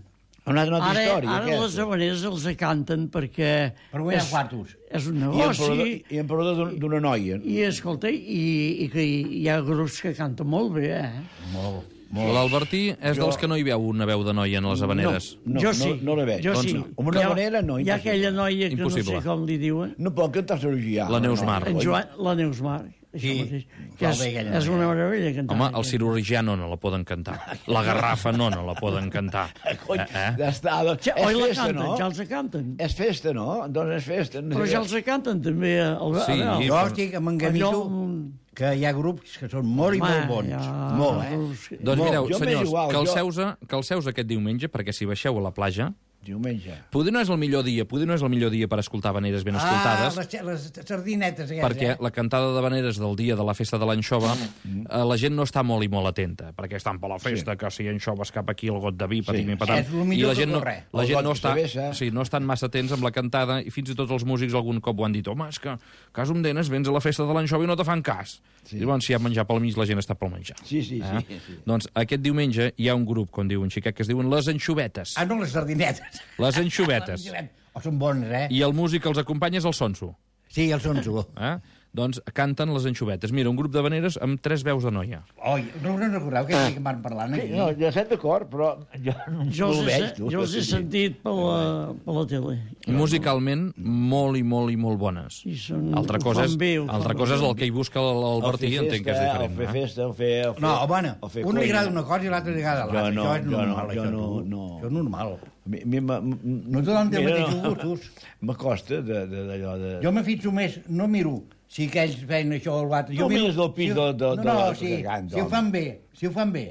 S4: Una altra
S2: Ara,
S4: història,
S2: ara les
S4: aquesta.
S2: habaneres els canten perquè...
S3: Per guanyar
S2: és-
S3: quartos.
S2: És un
S4: I en
S2: negoci.
S4: parodor, i en parodor d'un- d'una noia.
S2: I, escolta, i, i que hi ha grups que canten molt bé, eh?
S3: Molt.
S1: L'Albertí és
S4: Jo-
S1: dels que no hi veu una veu de noia en les habaneres.
S4: No,
S2: jo
S4: no,
S2: sí.
S4: no la veig.
S2: Jo
S1: Doncs
S2: sí.
S1: no.
S4: Amb una
S2: Hi ha-
S4: habanera, no,
S2: Hi ha
S4: impossible.
S2: aquella noia que
S1: Impossible.
S2: no sé com li diuen.
S4: No pot cantar cirurgià.
S1: La Neus Mar.
S2: En Joan, la Neus Mar. Això
S3: Sí,
S2: mateix.
S3: fa
S2: Que és,
S3: bé aquella
S2: és una meravella cantar.
S1: Home, el cirurgià no, no la poden cantar. La garrafa no, no la poden cantar.
S4: Cony,
S1: Eh, eh?
S4: ja està, doncs,
S2: Ja,
S4: és
S2: oi la
S4: festa,
S2: canten,
S4: no?
S2: ja els canten.
S4: És festa, no? Doncs és festa.
S2: Però ja els canten també. El,
S1: Sí,
S2: el,
S3: Jo estic amb en Gamito,
S2: Allò-
S3: que hi ha grups que són molt i molt bons.
S2: ja,
S3: Molt, eh?
S2: grups que-
S1: Doncs
S4: Molt.
S1: mireu,
S4: Jo m'és
S1: senyors,
S4: igual,
S1: que el
S4: jo-
S1: seus, que el seus aquest diumenge, perquè si baixeu a la platja,
S4: Diumenge.
S1: poder no és el millor dia, poder no és el millor dia per escoltar habaneres ben escoltades,
S3: Ah, les, les sardinetes aquestes,
S1: perquè
S3: eh?
S1: la cantada de veneres del dia de la festa de l'anxova,
S4: Mm.
S1: eh, la gent no està molt i molt atenta, perquè estan per la festa, sí. que si anxoves cap aquí el got de vi, patim
S4: Sí.
S1: i patam.
S3: És lo millor
S1: I la gent
S3: que
S1: no,
S3: corre.
S1: la
S4: El
S1: gent
S4: got
S1: no
S4: de
S1: està,
S4: cervesa.
S1: sí, no estan massa atents amb la cantada, i fins i tot els músics algun cop ho han dit, home, és que cas un denes, vens a la festa de l'anxova i no te fan cas. Sí. I llavors, si hi ha menjar pel mig, la gent està pel menjar.
S4: Sí, sí,
S1: Eh?
S4: sí, sí.
S1: Doncs aquest diumenge hi ha un grup, com diu un xiquet, que es diuen Les Anxovetes.
S3: Ah, no, les sardinetes.
S1: Les Anxovetes.
S3: Oh, són bons, eh?
S1: I el músic que els acompanya és el Sonso.
S3: Sí, els són su.
S1: Eh? Doncs canten Les Anxovetes. Mira, un grup de veneres amb tres veus de noia.
S3: Oi, no, no recordeu que sí que van parlant
S4: Sí,
S3: aquí?
S4: no, ja estem d'acord, però jo no,
S2: Jo
S4: no
S2: els,
S4: ho
S2: he,
S4: veig, tu.
S2: jo els he sentit per la, per la tele.
S1: Musicalment, molt i molt i molt bones.
S2: I són,
S1: Altra
S2: ho
S1: cosa és,
S2: fan bé, ho fan
S1: altra
S2: bé.
S1: cosa és el que hi busca l'Albertí,
S4: El fer
S1: entenc que és
S4: festa,
S1: diferent.
S4: El fer
S1: eh?
S4: festa, el fer... El fer
S3: No, home,
S4: el fer
S3: un li
S4: conya.
S3: agrada una cosa i l'altre li agrada l'altra.
S4: Jo no,
S3: això és
S4: jo no,
S3: normal,
S4: jo
S3: això,
S4: no,
S3: tu.
S4: no.
S3: Això és normal.
S4: A mi, a mi m'ha- m-
S3: No tothom té els
S4: mira,
S3: mateixos
S4: no,
S3: gustos.
S4: M'acosta de- de- d'allò de...
S3: Jo me fixo més, no miro si aquells feien això o l'altre.
S4: Tu mires del pis
S3: si,
S4: de- de-
S3: no,
S4: de
S3: no,
S4: la
S3: si,
S4: gegant,
S3: si ho
S4: home.
S3: fan bé, si ho fan bé.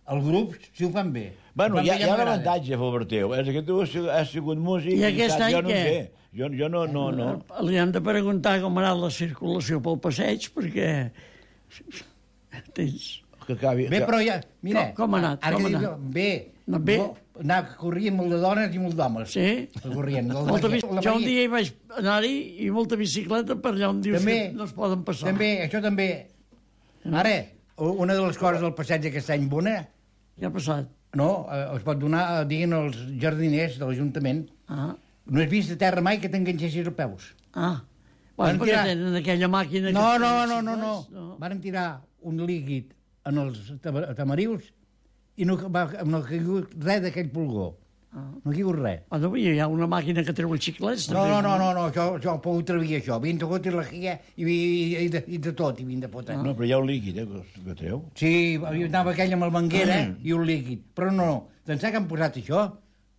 S3: El grup, si ho fan bé.
S4: Bueno,
S3: Ho fan
S4: hi ha,
S3: bé,
S4: hi ha un
S3: m'agrada.
S4: avantatge, Alberteu, és que tu has, has sigut músic
S2: I
S4: i
S2: aquest
S4: saps,
S2: any
S4: jo no
S2: què?
S4: ho sé. Jo, jo no, no, no.
S2: Li hem de preguntar com ha anat la circulació pel passeig, perquè... Tens...
S4: Que acabi...
S3: Bé, però ja... Mira,
S2: Com- com ha anat?
S3: Ara
S2: Com
S3: que
S2: ha
S3: dic,
S2: anat?
S3: bé.
S2: No, bé.
S3: No, anar corrient molt de dones i molt d'homes.
S2: Sí?
S3: Corrient.
S2: Molta bici... Jo un dia hi vaig anar-hi i molta bicicleta per allà on dius
S3: També,
S2: que no es poden passar.
S3: També, això també. Ara, una de les coses del passeig aquest any bona,
S2: Què ha passat?
S3: no, eh, es pot donar, eh, diguin els jardiners de l'Ajuntament,
S2: Ah,
S3: no has vist a terra mai que t'enganxessis els peus.
S2: ah.
S3: Van
S2: Bueno, perquè
S3: tirar-
S2: tenen aquella màquina...
S3: No,
S2: que
S3: no,
S2: fan
S3: no, no, no.
S2: bicicletes,
S3: Van tirar un líquid en els tama- tamarius i no, va, no ha caigut res d'aquell pulgó.
S2: Ah.
S3: No ha caigut res.
S2: Ah, no, hi ha una màquina que treu els xiclets,
S3: No,
S2: també.
S3: no, no, no, no, això, això ho puc treure això. Havien tocat la guia i, i, i, de, i de tot, i havien de fotre.
S4: No, però hi ha un líquid, eh, que, que treu.
S3: Sí, hi anava aquell amb el manguera i un líquid. Però no, no, d'ençà que han posat això,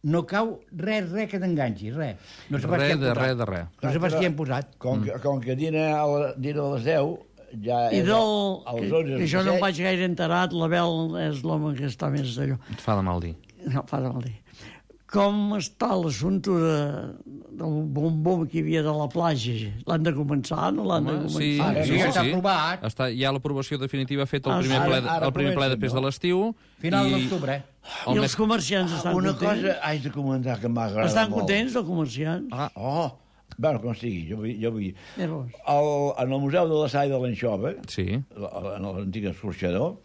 S3: no cau res, res que t'enganxi, res. No sé pas què
S1: Res
S3: han
S1: de
S3: posat.
S1: res de res.
S3: No sé pas què han posat.
S4: Com que, com que dina a, la, dina a les deu, ja
S2: I
S4: és
S2: del...
S4: als
S2: Que,
S4: onze
S2: que jo no em
S4: passeig.
S2: vaig gaire enterat, l'Abel és l'home que està més d'allò.
S1: Et fa de mal dir.
S2: No, fa de mal dir. Com està l'assumpte de, del bombom que hi havia de la platja? L'han de començar, no l'han de
S1: Home,
S2: començar?
S1: sí,
S3: Ara
S1: sí,
S3: ja
S1: sí,
S3: està
S1: sí.
S3: aprovat.
S1: Està, hi ha l'aprovació definitiva feta el
S2: Ah,
S1: primer
S2: sí.
S1: ple,
S4: Ara- ara
S1: el primer ple
S4: comencen,
S1: després de
S4: no?
S1: l'estiu.
S3: Final
S1: i
S3: d'octubre, eh?
S1: el
S2: I
S1: mes-
S2: els comerciants estan
S4: Una
S2: contents?
S4: cosa haig de comentar que m'ha agradat
S2: Estan
S4: molt.
S2: contents, els comerciants?
S1: Ah,
S4: Oh, bueno, com sigui, jo vull... Jo vull.
S2: Llavors,
S4: El, en el Museu de la Sall de l'Anxova,
S1: sí.
S4: en l'antic escorxador,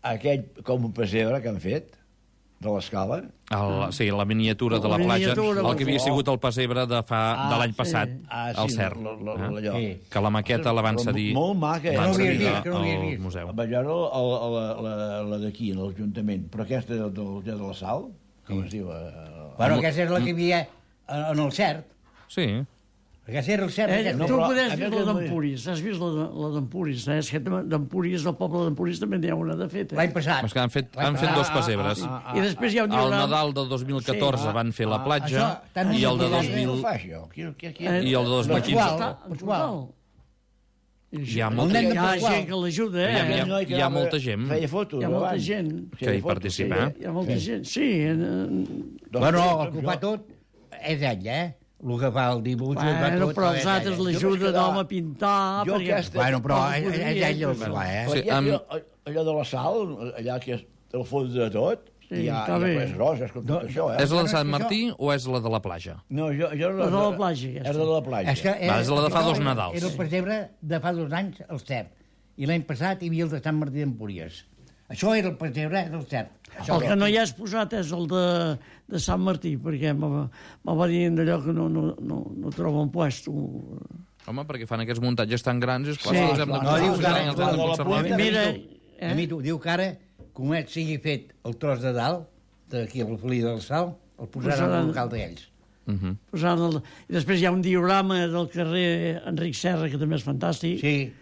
S4: aquell com un pessebre que han fet, de l'escala,
S1: El, sí, la miniatura de la
S2: La
S1: platja,
S2: miniatura,
S1: el que havia
S4: oh.
S1: sigut el pessebre de, fa,
S4: Ah,
S1: de l'any
S2: sí.
S1: passat,
S4: Ah,
S1: al
S4: sí,
S1: CERN.
S4: lo- lo-
S1: eh?
S4: allò.
S3: Sí.
S1: Que la maqueta la van
S4: Però
S1: cedir,
S4: molt maca, eh?
S1: van
S3: No ho havia
S1: cedir
S3: vist, que no ho havia
S1: al
S3: vist.
S1: museu.
S4: vaig veure la, la, la, la d'aquí, a l'Ajuntament, però aquesta del, del, de la Sal, com es diu? Eh,
S3: Bueno, aquesta és la que hi havia en el cert.
S1: Sí.
S3: Aquesta era el cert.
S2: eh,
S3: aquesta.
S4: no,
S2: tu
S4: però
S2: podries
S4: a
S2: dir
S4: mi
S2: la
S4: que-
S2: d'Empúries, has vist la de- la d'Empúries, eh? És que d'Empúries, del poble d'Empúries també n'hi ha una de fet,
S3: L'any
S2: eh?
S3: passat.
S1: És que han fet,
S3: L'any
S1: han fet
S3: passat.
S1: dos pessebres.
S4: ah, ah,
S2: I després hi ha un
S1: Al
S2: diagrama...
S1: Nadal del dos mil catorze
S4: Sí.
S1: van fer la
S4: Ah,
S1: platja
S3: això, tant
S1: i el de
S3: no
S1: dos
S3: sé
S1: mil...
S4: No ho fa, això. Qui, qui, qui,
S2: Eh,
S1: I el de dos mil quinze.
S3: Pasqual.
S2: En total. I
S1: Hi ha
S2: això-
S1: molta-
S2: hi ha
S3: Pasqual.
S2: gent que l'ajuda,
S1: Hi ha-
S2: eh?
S1: hi ha-
S4: noi que
S1: hi ha
S4: anava-
S1: molta gent.
S4: Feia fotos
S2: Hi ha molta
S4: abans.
S2: gent.
S1: Que
S4: Feia
S1: hi
S4: fotos,
S1: participa,
S4: sí,
S1: eh?
S2: Hi ha molta gent. Sí, en,
S4: Doncs,
S3: Bueno,
S4: doncs
S3: el que ho
S4: jo-
S3: fa tot és ell, eh? El que fa el dibuix, el que fa
S2: bueno,
S3: tot...
S2: però els
S3: és
S2: altres
S3: ell.
S4: Jo
S2: l'ajuda
S4: vaig
S2: d'home
S4: quedar-
S2: a pintar...
S4: Jo
S2: perquè-
S4: aquesta-
S3: Bueno, però
S2: Com
S3: és, és
S2: podria,
S3: ell el
S2: però-
S3: que fa, eh?
S4: Perquè
S1: Sí, amb-
S4: allò, allò de la sal, allà que és el fons de tot,
S2: Sí,
S4: hi ha,
S2: està
S4: hi ha
S2: bé.
S4: res roses, com tot
S3: No,
S4: això, eh?
S1: És la
S3: no,
S1: de
S3: és
S1: Sant
S3: que això-
S1: Martí o és la de la platja?
S4: No, jo, jo
S2: La de la platja, aquesta.
S4: És de la platja.
S3: És que
S1: Va, és la de fa dos
S3: això
S1: Nadals.
S3: Era el pessebre de fa dos anys, el cert. I l'any passat hi havia el de Sant Martí d'Empúries. Això era el pessebre del cert. Això
S2: El que no hi has posat és el de, de Sant Martí, perquè me, me va dir d'allò que no, no, no, no troben puesto.
S1: Home, perquè fan aquests muntatges tan grans, és clar
S2: Sí.
S1: que els hem de
S3: No, diu que
S1: conservar,
S3: ara-
S1: els hem de
S4: la
S1: conservar.
S4: punta-
S2: Mira,
S3: A mi t'ho diu que ara, com et sigui fet el tros de dalt, d'aquí al Felí del Sal, el posaran
S2: Posaran-
S3: al local d'ells.
S1: Mhm.
S2: posant el... I després hi ha un diorama del carrer Enric Serra, que també és fantàstic.
S3: Sí,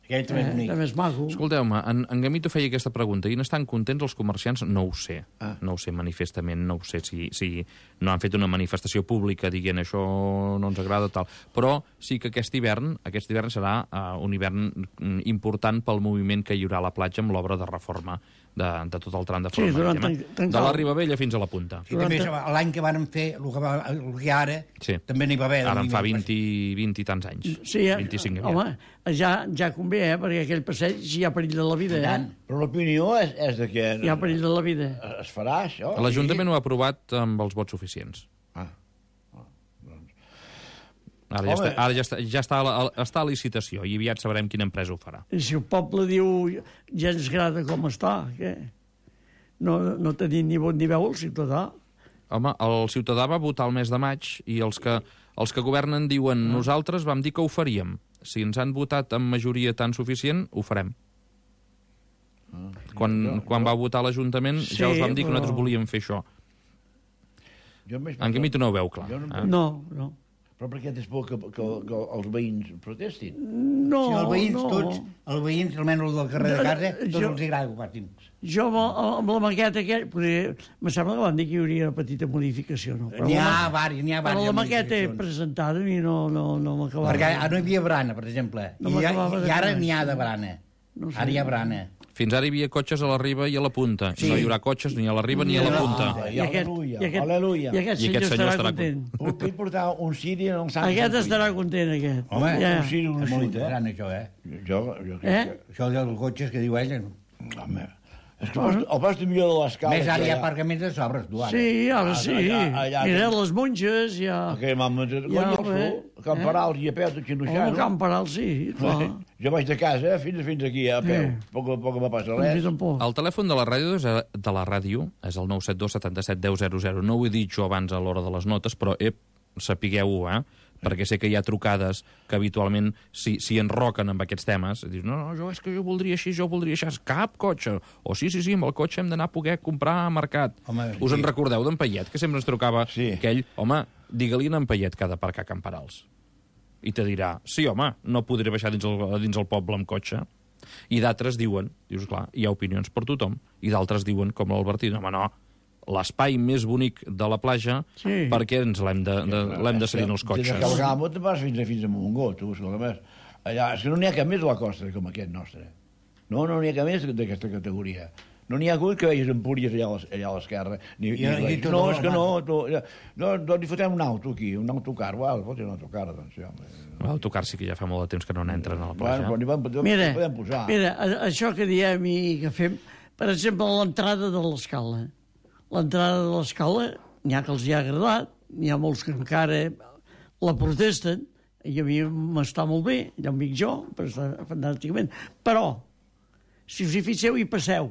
S3: aquell també és
S2: eh,
S3: bonic.
S2: també és maco.
S1: Escolteu-me, en, en Gamito feia aquesta pregunta i n'estan contents els comerciants? No ho sé.
S4: Ah.
S1: No ho sé manifestament, no ho sé si, si no han fet una manifestació pública dient això no ens agrada, tal. Però sí que aquest hivern, aquest hivern serà uh, un hivern mm, important pel moviment que hi haurà a la platja amb l'obra de reforma de, de tot el tram de
S2: Sí,
S1: forma
S2: durant
S1: marítima.
S2: tan- tan
S1: De la
S2: cal.
S1: Ribabella fins a la punta.
S3: I també l'any que van fer, el que, va, el que ara,
S1: Sí.
S3: també n'hi va haver.
S1: Ara en fa
S3: moviment.
S1: vint, vint i tants anys.
S2: Sí, eh,
S1: vint-i-cinc
S2: home, ja, ja convé, eh, perquè aquell passeig hi ha perill de la vida,
S3: I
S2: eh?
S3: tant.
S4: Però l'opinió és, és de que
S2: Hi ha perill de la vida.
S4: es farà, això.
S1: L'Ajuntament ho ha aprovat amb els vots suficients.
S4: Ah.
S1: Ara, ja,
S4: Home.
S1: està, ara ja, està, ja està, a la, està a licitació i aviat sabrem quina empresa ho farà.
S2: I si el poble diu ja ens agrada com està, què? No, no tenim ni vot ni veu el ciutadà.
S1: Home, el ciutadà va votar el mes de maig i els que, els que governen diuen
S2: Ah.
S1: nosaltres vam dir que ho faríem. Si ens han votat amb majoria tan suficient, ho farem. Quan, quan va votar l'Ajuntament
S2: Sí,
S1: ja us vam dir que
S2: però-
S1: nosaltres volíem fer això.
S4: Jo més-
S1: En Gamito no ho veu clar.
S4: Jo no-
S1: Eh?
S2: No, no.
S4: Però per què tens por que, que, que els veïns protestin?
S2: No,
S3: Si els veïns
S2: no.
S3: tots, els veïns, almenys els del carrer de casa, tots
S2: Jo-
S3: els agrada que ho facin.
S2: Jo amb, amb la maqueta aquella... Potser, me sembla que van dir que hi hauria una petita modificació, no?
S3: N'hi ha
S2: la, ma-
S3: varis, n'hi ha
S2: però
S3: varis.
S2: la maqueta presentada i no, no, no m'acabava.
S3: Perquè ara no hi havia brana, per exemple.
S2: No
S3: I, ja-
S2: m'acabava de
S3: I ara
S2: conèixer.
S3: n'hi ha de brana.
S2: No sé.
S3: Ara hi ha brana.
S1: Fins ara hi havia cotxes a la riba i a la punta.
S3: Sí.
S1: No hi haurà cotxes ni a la riba ni a la
S2: No.
S1: punta.
S4: Ah,
S2: I aquest,
S4: Aleluia,
S2: i aquest,
S4: aleluia.
S2: I aquest
S1: I
S2: senyor,
S1: aquest senyor
S2: estarà
S1: estarà
S2: content.
S4: Puc puc portar un ciri en el Sant
S2: Aquest
S4: Circuit?
S2: estarà content, aquest.
S3: Home,
S2: ja.
S4: un ciri, un
S3: És molt
S4: ciri, eh?
S3: interessant, això, eh?
S4: Jo, jo
S2: Eh?
S4: crec que...
S3: Això dels cotxes que diu ella.
S4: Home, és que el post- el post millor de l'escala...
S3: Més ara
S4: que
S3: hi ha
S4: ha-
S3: aparcaments de sobres, tu, ara.
S2: Sí, ara sí.
S4: allà- allà-
S2: Mira, les monges, ja...
S4: Aquell mam...
S2: Ja,
S4: Ja,
S2: eh?
S4: Camp Paral i a peu, tot
S2: Home,
S4: xinoxano.
S2: Camp Paral, sí, clar.
S4: Jo vaig de casa eh, fins, fins aquí, a peu.
S2: Sí.
S4: Poc a poc no passa
S2: Doncs
S4: res.
S2: tampoc.
S1: El telèfon de la ràdio és, de la ràdio és el nou set dos setanta-set deu zero zero. No ho he dit jo abans a l'hora de les notes, però ep, sapigueu-ho, eh? Perquè sé que hi ha trucades que habitualment s'hi si enroquen amb aquests temes. Dius, no, no, jo és que jo voldria així, jo voldria així. Cap cotxe. O sí, sí, sí, amb el cotxe hem d'anar a poder comprar a mercat.
S3: Home,
S1: Us en
S3: sí.
S1: recordeu d'en Payet, que sempre ens trucava
S4: Sí.
S1: aquell, home, digue-li a en Payet que ha d'aparcar a Can Parals. I te dirà, sí, home, no podré baixar dins el, dins el poble amb cotxe. I d'altres diuen, dius, clar, hi ha opinions per tothom, i d'altres diuen, com l'Albertí, home, no, l'espai més bonic de la platja,
S2: Sí.
S1: perquè ens l'hem de, de, l'hem de cedir en els
S4: Des de
S1: cotxes.
S4: Calgamo te'n vas fins a, fins a Montgó, tu, escolta, més. Allà, és que no n'hi ha cap més a la costa com aquest nostre. No, no n'hi ha cap més d'aquesta categoria. No n'hi ha hagut que vegis Empúries allà a l'es- allà a l'esquerra. Ni,
S3: I-
S4: ni,
S3: i
S4: ni
S3: tot
S4: no,
S3: el
S4: és que
S3: mar.
S4: no, tu, no, doncs hi fotem un auto aquí, un autocar. Val, fotem un autocar, doncs, sí, home.
S1: L'autocar sí que ja fa molt de temps que no n'entren a la platja.
S4: Bueno, però n'hi vam,
S2: Mira,
S4: podem posar.
S2: mira, a- això que diem i que fem, per exemple, l'entrada de l'escala. L'entrada de l'escala, n'hi ha que els hi ha agradat, n'hi ha molts que encara la protesten, i a mi m'està molt bé, ja ho dic jo, però està fantàsticament. Però, si us hi fixeu i passeu,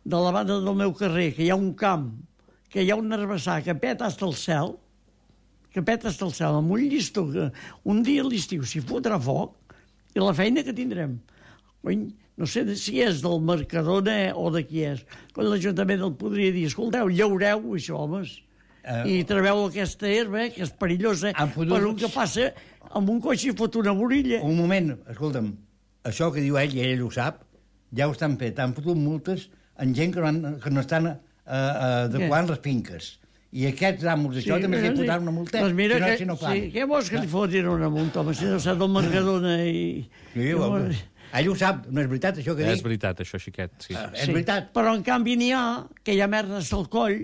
S2: de la banda del meu carrer, que hi ha un camp, que hi ha un herbassar que peta hasta el cel, que peta hasta el cel, amb un llistó que un dia a l'estiu s'hi fotrà foc, i la feina que tindrem. Cony, no sé si és del Mercadona o de qui és. Quan l'Ajuntament el podria dir, escolteu, llaureu això, homes,
S3: Eh,
S2: i treveu aquesta herba, que és perillosa,
S3: Han fotut-
S2: per un que passa amb un cotxe i fot una borilla.
S3: Un moment, escolta'm, això que diu ell, i ell ho sap, ja ho estan fet. Han fotut multes en gent que no, han, que no estan eh, eh, adequant les finques. I aquests amos d'això també s'hi fotran una multa.
S2: Doncs mira,
S3: si no,
S2: que,
S3: si no fan.
S2: sí, què vols que li fotin una multa, home, si no s'ha del Mercadona i...
S3: Sí,
S2: i
S3: home, ell ho sap, no és veritat això que
S1: És
S3: dic.
S1: veritat, això, xiquet, sí.
S3: Eh, És veritat.
S2: Però en canvi n'hi ha que hi ha merdes al coll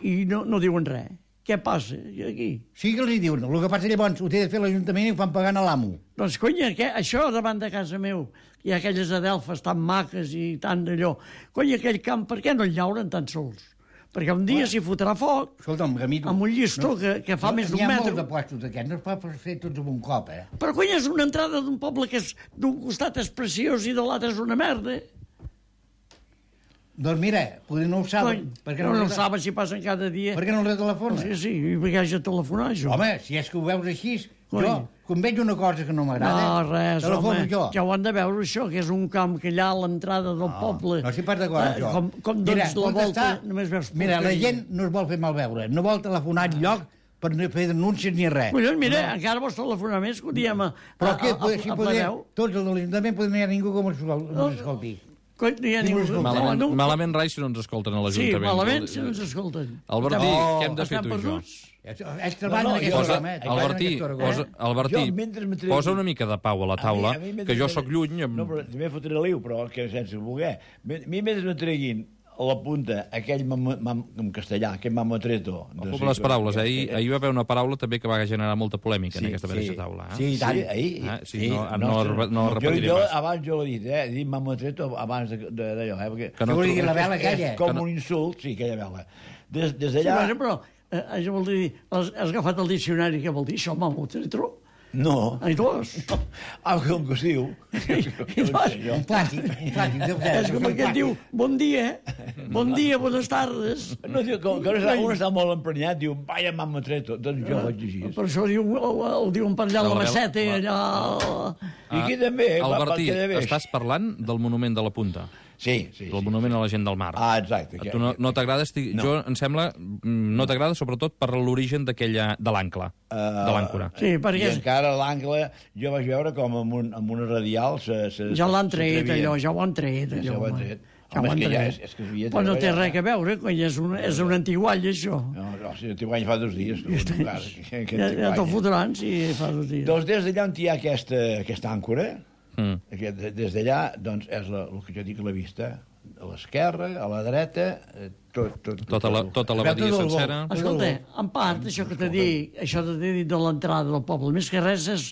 S2: i no, no diuen res. Què passa aquí?
S3: Sí que li diuen. El que passa llavors ho té de fer l'Ajuntament i ho fan pagant a l'amo.
S2: Doncs, conya, que això davant de casa meu, hi ha aquelles adelfes tan maques i tan d'allò. Conya, aquell camp, per què no el llauren tan sols? Perquè un dia s'hi fotrà foc,
S3: Escolta'm, Gamito...
S2: amb un llistó que, que fa més d'un
S3: N'hi ha
S2: metre.
S3: molts de puestos d'aquests, no es pot fer tots en un cop, eh?
S2: Però, conya, és una entrada d'un poble que és d'un costat és preciós i de l'altre és una merda.
S3: Doncs mira, potser no ho saben.
S2: Cony,
S3: Per què
S2: no,
S3: no,
S2: no
S3: el-
S2: saben si passen cada dia.
S3: Per què no el telefona?
S2: Sí, sí, i perquè haig de telefonar, això.
S3: Home, si és que ho veus així,
S2: Coi.
S3: jo, quan veig una cosa que no
S2: No,
S3: m'agrada,
S2: res,
S3: telefono
S2: home,
S3: jo.
S2: ja ho han de veure, això, que és un camp que allà a l'entrada del poble...
S3: No estic pas d'acord amb
S2: eh,
S3: això.
S2: Com, com
S3: Mira,
S2: dones la
S3: on
S2: volta,
S3: està?
S2: només veus...
S3: Mira, la
S2: porqueria.
S3: gent no es vol fer malveure, no vol telefonar enlloc per no fer denúncies ni res.
S2: Collons, mira, no. encara vols telefonar més, que ho diem a,
S3: Però
S2: a,
S3: què,
S2: a, a,
S3: si
S2: a
S3: poder,
S2: Planeu.
S3: tots els de l'Ajuntament poden no hi ha ningú com ens escolti.
S2: Cony, no hi ha ningú...
S1: Malament,
S2: no,
S1: malament rai si no ens escolten a
S2: Sí,
S1: l'Ajuntament.
S2: malament si no ens escolten.
S1: Albertí,
S2: Estem-
S1: què hem de fer
S2: estem
S1: tu i jo?
S2: perduts?
S3: Ells treballen
S4: No, no,
S3: en aquesta
S1: Posa,
S3: hora, eh? Treballen en
S1: Albertí,
S3: aquesta hora,
S1: posa,
S3: eh?
S1: Albertí,
S4: Jo, mentre me tregui-
S1: posa una mica de pau a la taula,
S4: A mi- a mi
S1: que jo
S4: mentre-
S1: sóc lluny... Amb...
S4: No, però també fotré liu, però que sense voler. A mi mentre no treguin a la punta aquell mam, mam, en castellà, aquell mamotreto...
S1: Ojo amb les paraules, eh? ahir, ahir va haver una paraula també que va generar molta polèmica
S4: Sí,
S1: en aquesta
S4: sí.
S1: mateixa taula. Eh?
S3: Sí, i
S4: Sí,
S3: tant.
S4: ahir...
S1: Ah, sí,
S4: sí,
S1: no- no
S4: ostres.
S1: re- no repetiré
S4: jo, jo,
S1: pas.
S4: abans jo l'he dit, eh? He dit mamotreto abans de- de- d'allò, eh? Perquè
S1: Que no
S3: Jo volia
S1: tro-
S3: dir la vela aquella.
S4: és com
S1: que no-
S4: un insult, sí, aquella vela. Des, des
S2: Sí,
S4: d'allà...
S2: bueno, però eh, això vol dir... Has, has agafat el diccionari, què vol dir això, mamotretro?
S4: No.
S2: Ai, dos.
S4: Ah, com que es diu.
S2: I dos.
S3: Un plàstic, un plàstic. Déu
S2: És com aquell diu, bon dia, bon dia, bones tardes.
S4: No, diu, com que un està, un està molt emprenyat, diu, vaya mamotreto. Doncs jo vaig dir així.
S2: Per això diu, el, el diuen per allà a la
S1: La-
S2: Maceta,
S1: la-
S2: allà...
S4: I aquí també, va, va,
S1: Albertí,
S4: queda bé.
S1: estàs parlant del monument de la Punta,
S4: Sí, sí.
S1: del
S4: sí.
S1: monument a la gent del mar.
S4: Ah, exacte.
S1: A tu no, no t'agrada, estic...
S4: No.
S1: jo, em sembla, mm, no t'agrada sobretot per l'origen d'aquella, de l'àncora,
S4: Uh,
S1: de l'àncora.
S2: Sí,
S4: I
S2: perquè és,
S4: encara l'angle, jo vaig veure com amb, un, amb una radial se, se,
S2: ja l'han tret,
S4: s'atrevien.
S2: allò, ja ho han tret,
S4: Ja
S2: allò.
S4: ho han
S2: home.
S4: tret.
S2: Ja
S4: Home,
S2: ho han
S4: és que ja
S2: tret.
S4: és- és que s'havia de
S2: Però no té
S4: treballar.
S2: res a veure, coi, és un, és un antiguall, això.
S4: No, no, si t'hi guany fa dos dies. Tu, tu, clar, que, que
S2: Ja,
S4: t'hi
S2: ja te'l
S4: guanya.
S2: fotran, si fa dos dies.
S4: Doncs des d'allà on hi ha aquesta, aquesta àncora,
S1: Mm.
S4: Aquest, des d'allà, doncs, és la, el que jo dic, la vista. A l'esquerra, a la dreta, eh, tot, tot,
S1: Tota la, tota la badia
S3: Tot el gol.
S1: sencera.
S2: Escolta, en part, això que t'he dit, això que t'he dit de l'entrada del poble, més que res és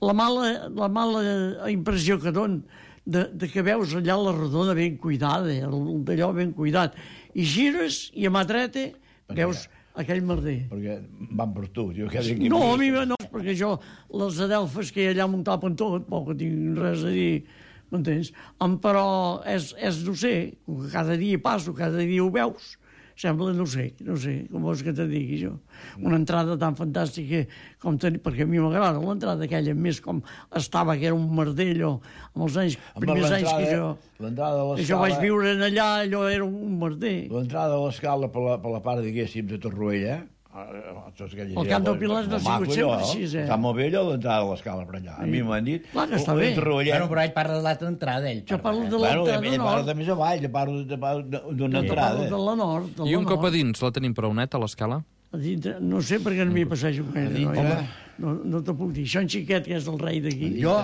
S2: la mala, la mala impressió que don de, de que veus allà la rodona ben cuidada, el- d'allò ben cuidat, i gires i a mà dreta veus aquell merder.
S4: perquè van per tu. Diu, que aquí
S2: No, a mi no, perquè jo, les adelfes que hi ha allà m'ho tapen tot, poc que tinc res a dir, m'entens? Em, però és, és, no sé, com que cada dia hi passo, cada dia ho veus, sembla, no sé, no sé, com vols que te digui jo. Una entrada tan fantàstica com tenir, perquè a mi m'agrada l'entrada aquella, més com estava, que era un merder, allò, amb els anys,
S4: Home,
S2: primers anys que jo,
S4: l'entrada de
S2: que jo vaig
S4: l'escala...
S2: viure en allà, allò era un merder.
S4: L'entrada de l'escala per, la, per la part, diguéssim, de Torroella,
S2: El Camp del Pilar no ha sigut sempre així, eh?
S4: Està molt bé allò, l'entrada de l'escala per allà. A mi m'han dit...
S2: Clar que està bé.
S3: Bueno, però ell parla de l'altra entrada, ell.
S2: Jo parlo de
S4: Bueno,
S2: l'entrada
S4: ell parla
S2: nord,
S4: de més avall, jo parlo de- de- d'una
S2: jo
S4: entrada.
S2: parlo de la nord, de la
S1: I un cop a
S2: nord.
S1: dins la tenim prou neta, a l'escala?
S2: A dintre, no sé perquè no m'hi passejo gaire, no,
S4: dintre.
S2: no, no te puc dir. Això en xiquet, que és el rei d'aquí.
S3: Jo,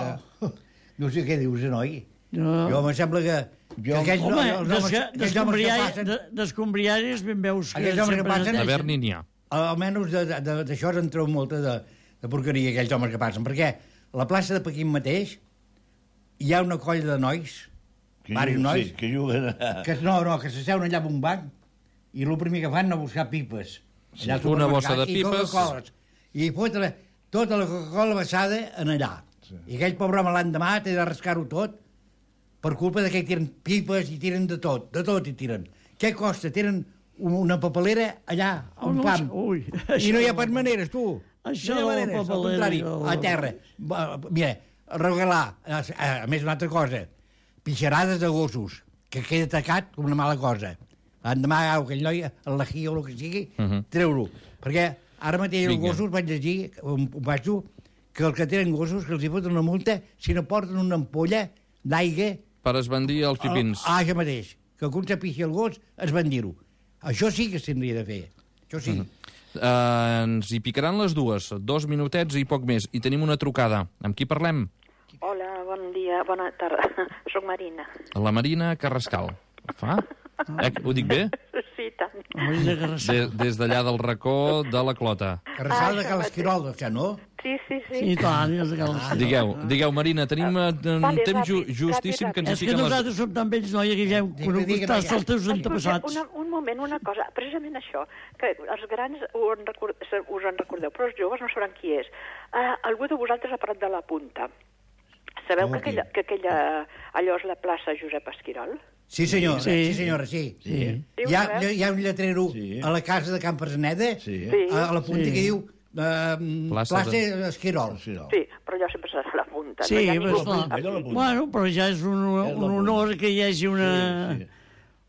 S3: no sé què dius, noi.
S2: No.
S3: Jo em sembla que... que aquells,
S2: Home,
S3: no- els homes-
S2: desca-
S3: aquells homes que
S2: descombriari-
S3: passen,
S2: de- descombriaris ben veus que
S3: Aquells homes que
S2: sempre
S3: passen-
S1: A
S2: neteixen.
S1: Berni n'hi ha.
S3: almenys de- de- d'això en treu molta de, de porqueria, aquells homes que passen, perquè a la plaça de Pequín mateix hi ha una colla de nois,
S4: Que
S3: diversos
S4: juguen-
S3: nois,
S4: Sí, que juguen a...
S3: que no, no, que s'asseuen allà en un banc i el primer que fan és buscar pipes. Allà al
S1: una bossa de
S3: supermercat, i
S1: pipes.
S3: Coca-Coles. I fotre la, tota la Coca-Cola vessada en allà. Sí. I aquell pobre home l'endemà té de rascar-ho tot per culpa de que tiren pipes i tiren de tot, de tot i tiren. Què costa? Tenen una papelera allà, a un
S2: Oh, no,
S3: pam.
S2: ui,
S3: I no hi ha pas maneres, tu.
S2: Això
S3: no hi ha
S2: de la
S3: maneres, al
S2: papelera,
S3: contrari,
S2: jo-
S3: a terra. Va, Mira, regalar, a, a, a més una altra cosa, pixarades de gossos, que queda tacat com una mala cosa. Endemà, aquell noi, el lají o el que sigui, uh -huh. treu-lo. Perquè ara mateix els
S1: Vinga.
S3: gossos, vaig llegir, un, un baixo, que els que tenen gossos, que els hi foten una multa si no porten una ampolla d'aigua...
S1: Per esbandir els pipins.
S3: Ah, això mateix. Que quan s'apixi el gos, es van dir-ho. Això sí que s'hauria de fer. Això sí. Uh -huh.
S1: Uh, ens hi picaran les dues, dos minutets i poc més. I tenim una trucada. Amb qui parlem?
S5: Hola, bon dia, bona tarda. Soc Marina.
S1: La Marina Carrascal. Fa? Eh, ho dic bé?
S5: Sí, tant.
S2: Marina Carrascal.
S1: De, des d'allà del racó de la Clota.
S3: Carrascal
S5: Ah,
S3: de
S5: això
S3: Cal
S5: mateix.
S3: Esquirol, això, no?
S5: Sí, sí, sí.
S2: Sí, tant, és que
S3: Ah,
S2: el...
S1: Digueu, digueu, Marina, tenim eh, un
S5: Vale,
S1: temps ju
S5: ràpid,
S1: justíssim
S5: ràpid,
S1: que ens
S2: És
S1: hi
S2: que
S1: fiquen les...
S2: nosaltres som tan vells, noia, que ja hem
S3: Digue,
S2: conegut
S3: digue,
S2: tants
S3: noia.
S2: els teus
S5: Escolta,
S2: antepassats.
S5: una, un moment, una cosa. Precisament això, que els grans ho en record, us en recordeu, però els joves no sabran qui és. Uh, algú de vosaltres ha parlat de la Punta. Sabeu
S3: Com
S5: que
S3: aquí?
S5: aquella, que aquella, allò és la plaça Josep Esquirol?
S3: Sí, senyora, sí,
S2: Sí.
S3: sí senyora, sí.
S2: Sí.
S3: Hi ha, hi ha un lletrero
S4: Sí.
S3: a la casa de Can Preseneda,
S4: Sí.
S5: Sí.
S3: a, a la punta
S2: Sí.
S3: que diu eh,
S1: Plaça
S3: plaça,
S1: de-
S3: Esquirol.
S4: Sí, no.
S5: Sí, però allò sempre serà la Punta.
S2: Sí,
S5: no hi ha
S2: però
S5: ningú
S2: esclar.
S5: aquí.
S4: Allò la Punta.
S2: Bueno, però ja és un,
S4: És la
S2: un honor que hi hagi una...
S4: Sí, sí.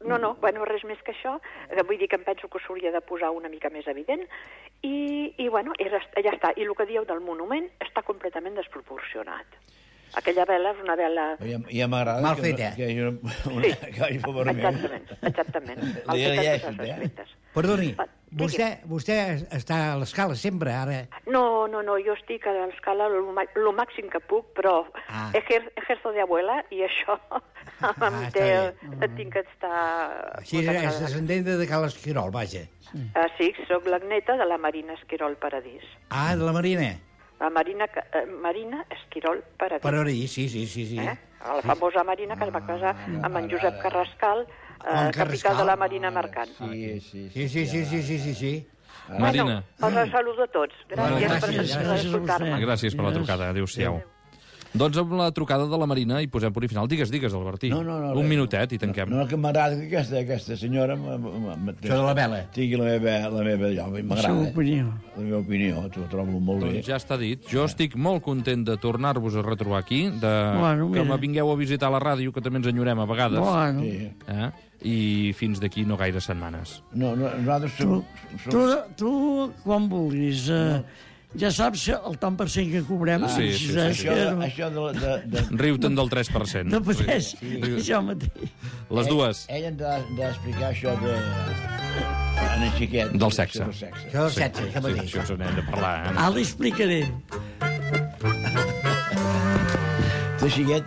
S5: No, no, bueno, res més que això. Eh, Vull dir que em penso que s'hauria de posar una mica més evident. I, i bueno, era, ja està. I el que dieu del monument està completament desproporcionat. Aquella vela és una vela...
S4: Ja, ja m'agrada
S3: Mal
S4: que,
S3: fet, eh?
S4: que hi hagi una, una
S5: Sí,
S4: que hi hagi un vermell.
S5: exactament, exactament. Mal
S4: Li
S5: fet en
S4: llegeixes,
S5: tots els
S4: eh?
S5: aspectes.
S3: Perdoni,
S5: Va,
S3: vostè, vostè està a l'escala sempre, ara.
S5: No, no, no, jo estic a l'escala el, ma- lo màxim que puc, però
S3: Ah.
S5: ejer, ejerzo de abuela i això
S3: Ah,
S5: em
S3: està
S5: té,
S3: bé.
S5: tinc que estar...
S3: Així és descendent de Cal Esquirol, vaja.
S5: Uh, sí, sóc la neta de la Marina Esquirol Paradís.
S3: Ah, de la Marina.
S5: La Marina, Ca- eh, Marina Esquirol Paradís.
S3: Per ahir, sí, sí, sí, sí.
S5: Eh? La famosa Marina que es va casar amb en Josep Carrascal,
S3: Amb
S5: eh, capità
S3: Carrascal.
S5: de la Marina Mercant.
S4: Sí, sí,
S3: Sí, sí, sí, sí, sí, sí, sí.
S1: Marina,
S5: Bueno, els saludo a tots. Gràcies,
S3: Gràcies,
S5: per,
S3: gràcies
S5: per
S2: a
S5: escoltar-me.
S2: vostè.
S1: gràcies per la trucada. Adéu-siau. Doncs amb la trucada de la Marina i posem punt i final. Digues, digues, Albertí.
S4: No, no, no,
S1: Un
S4: res.
S1: minutet i tanquem.
S4: No, no, que m'agrada que aquesta, aquesta senyora... m- m- m-
S3: Això de la vela.
S4: Tingui la meva, la meva allò,
S2: La seva
S4: m'agrada.
S2: opinió.
S4: La meva opinió, ho trobo molt bé.
S1: Doncs ja està dit. Jo estic molt content de tornar-vos a retrobar aquí, de
S2: Bueno,
S1: que
S2: mira.
S1: me vingueu a visitar la ràdio, que també ens enyorem a vegades.
S2: Bueno,
S4: Sí.
S1: Eh? I fins d'aquí no gaire setmanes.
S4: No, no, nosaltres
S2: tu,
S4: som...
S2: tu,
S4: som
S2: tu quan vulguis, eh, ja saps el tant per cent que cobrem.
S1: Sí,
S2: si
S1: sí, sí,
S2: saps
S1: sí.
S4: això,
S2: que
S4: de,
S2: no,
S4: això de, de, de,
S1: Riu-te'n del tres per cent.
S2: no pateix, això mateix.
S1: Les dues.
S4: Ell, ell ens ha d'explicar això de... En el xiquet.
S1: Del sexe.
S4: Del sexe.
S3: Això del sexe, això
S1: Sí,
S3: mateix.
S1: això us n'hem de parlar. Eh?
S2: Ara l'explicaré.
S4: de xiquet